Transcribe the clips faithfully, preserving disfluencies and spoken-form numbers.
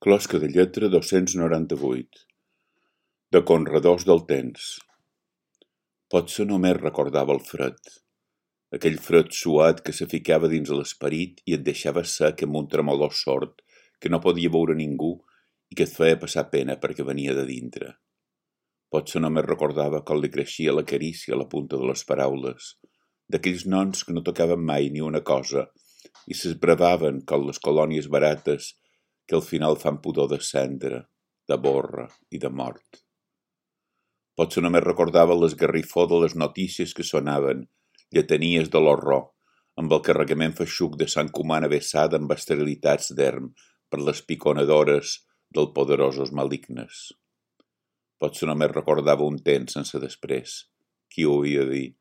Closca de lletra dos-cents noranta-vuit. De conredors del temps. Potser només recordava el fred, aquell fred suat que se ficava dins l'esperit i et deixava sec amb un tremolor sord que no podia veure ningú i que et feia passar pena perquè venia de dintre. Potser només recordava com li creixia la carícia a la punta de les paraules, d'aquells noms que no tocaven mai ni una cosa i s'esbravaven com les colònies barates que al final fan pudor de cendra, de borra i de mort. Potser només recordava l'esgarrifó de les notícies que sonaven, lletanies de l'horror, amb el carregament feixuc de sang humana vessada amb esterilitats d'erm per les piconadores dels poderosos malignes. Potser només recordava un temps sense després, qui ho havia de dir,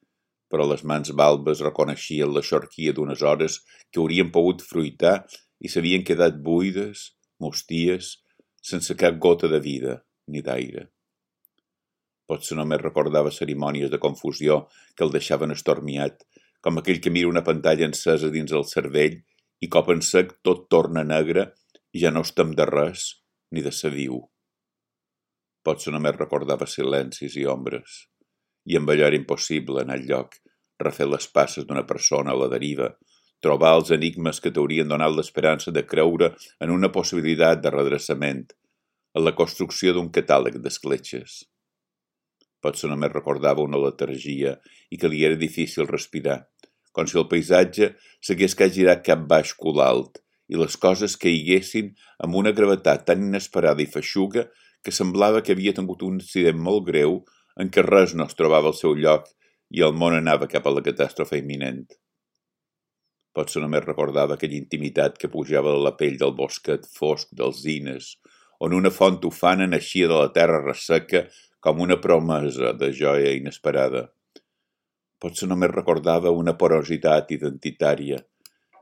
però les mans balbes reconeixien la xorquia d'unes hores que haurien pogut fruitar i s'havien quedat buides, musties, sense cap gota de vida ni d'aire. Potser només recordava cerimònies de confusió que el deixaven estormiat, com aquell que mira una pantalla encesa dins el cervell i cop en sec tot torna negre i ja no es tem de res ni de ser viu. Potser només recordava silencis i ombres, i amb allò era impossible anar enlloc, refer les passes d'una persona a la deriva, trobar els enigmes que t'haurien donat l'esperança de creure en una possibilitat de redreçament, en la construcció d'un catàleg d'escletxes. Potser només recordava una letargia i que li era difícil respirar, com si el paisatge s'hagués que girat cap baix cul alt i les coses caiguessin amb una gravetat tan inesperada i feixuga que semblava que havia tingut un accident molt greu en què res no es trobava al seu lloc i el món anava cap a la catàstrofe imminent. Potser només recordava aquella intimitat que pujava a la pell del bosquet fosc dels zines, on una font ufana naixia de la terra resseca com una promesa de joia inesperada. Potser només recordava una porositat identitària,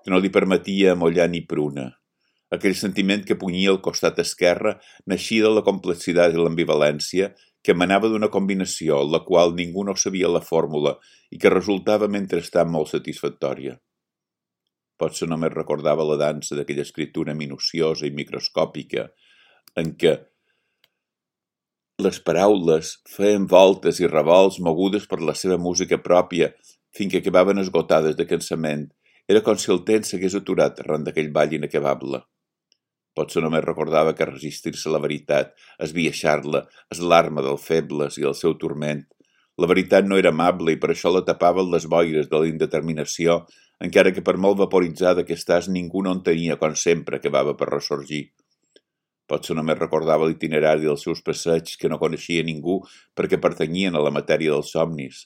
que no li permetia amollar ni pruna. Aquell sentiment que punyia al costat esquerre naixia de la complexitat i l'ambivalència que emanava d'una combinació en la qual ningú no sabia la fórmula i que resultava mentrestant molt satisfactòria. Potser només recordava la dansa d'aquella escriptura minuciosa i microscòpica en què les paraules feien voltes i revolts mogudes per la seva música pròpia fins que acabaven esgotades de cansament. Era com si el temps s'hagués aturat arran d'aquell ball inacabable. Potser només recordava que resistir-se a la veritat, esbiaixar-la, és l'arma dels febles i el seu turment. La veritat no era amable i per això la tapaven les boires de la indeterminació, encara que per molt vaporitzada que estàs ningú no entenia com sempre acabava per ressorgir. Potser només recordava l'itinerari dels seus passeigs que no coneixia ningú perquè pertanyien a la matèria dels somnis.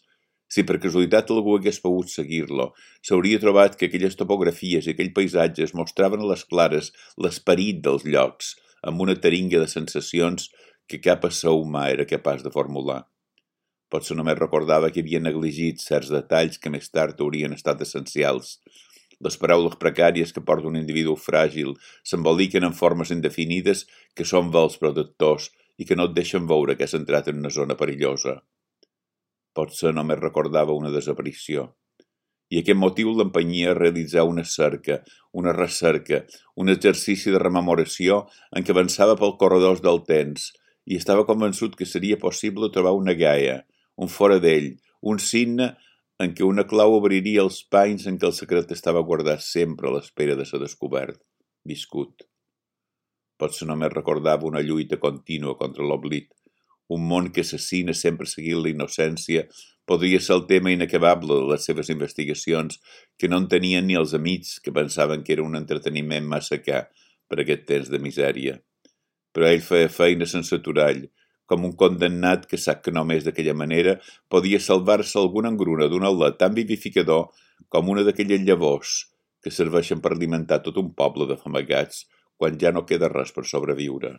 Si per casualitat algú hagués pogut seguir-lo, s'hauria trobat que aquelles topografies i aquells paisatges mostraven a les clares l'esperit dels llocs, amb una taringa de sensacions que cap ésser humà era capaç de formular. Potser només recordava que havia negligit certs detalls que més tard haurien estat essencials. Les paraules precàries que porta un individu fràgil s'emboliquen en formes indefinides que són vels protectors i que no et deixen veure que has entrat en una zona perillosa. Potser només recordava una desaparició. I aquest motiu l'empenyia a realitzar una cerca, una recerca, un exercici de rememoració en què avançava pel corredors del temps i estava convençut que seria possible trobar una gaia, un fora d'ell, un signe en què una clau obriria els panys en què el secret estava guardat sempre a l'espera de ser descobert, viscut. Potser només recordava una lluita contínua contra l'oblit, un món que assassina sempre seguint la innocència podria ser el tema inacabable de les seves investigacions que no entenien ni els amics que pensaven que era un entreteniment massa car per aquest temps de misèria. Però ell feia feina sense aturall, com un condemnat que sap que només d'aquella manera podia salvar-se alguna engruna d'un alè tan vivificador com una d'aquelles llavors que serveixen per alimentar tot un poble de famagats quan ja no queda res per sobreviure.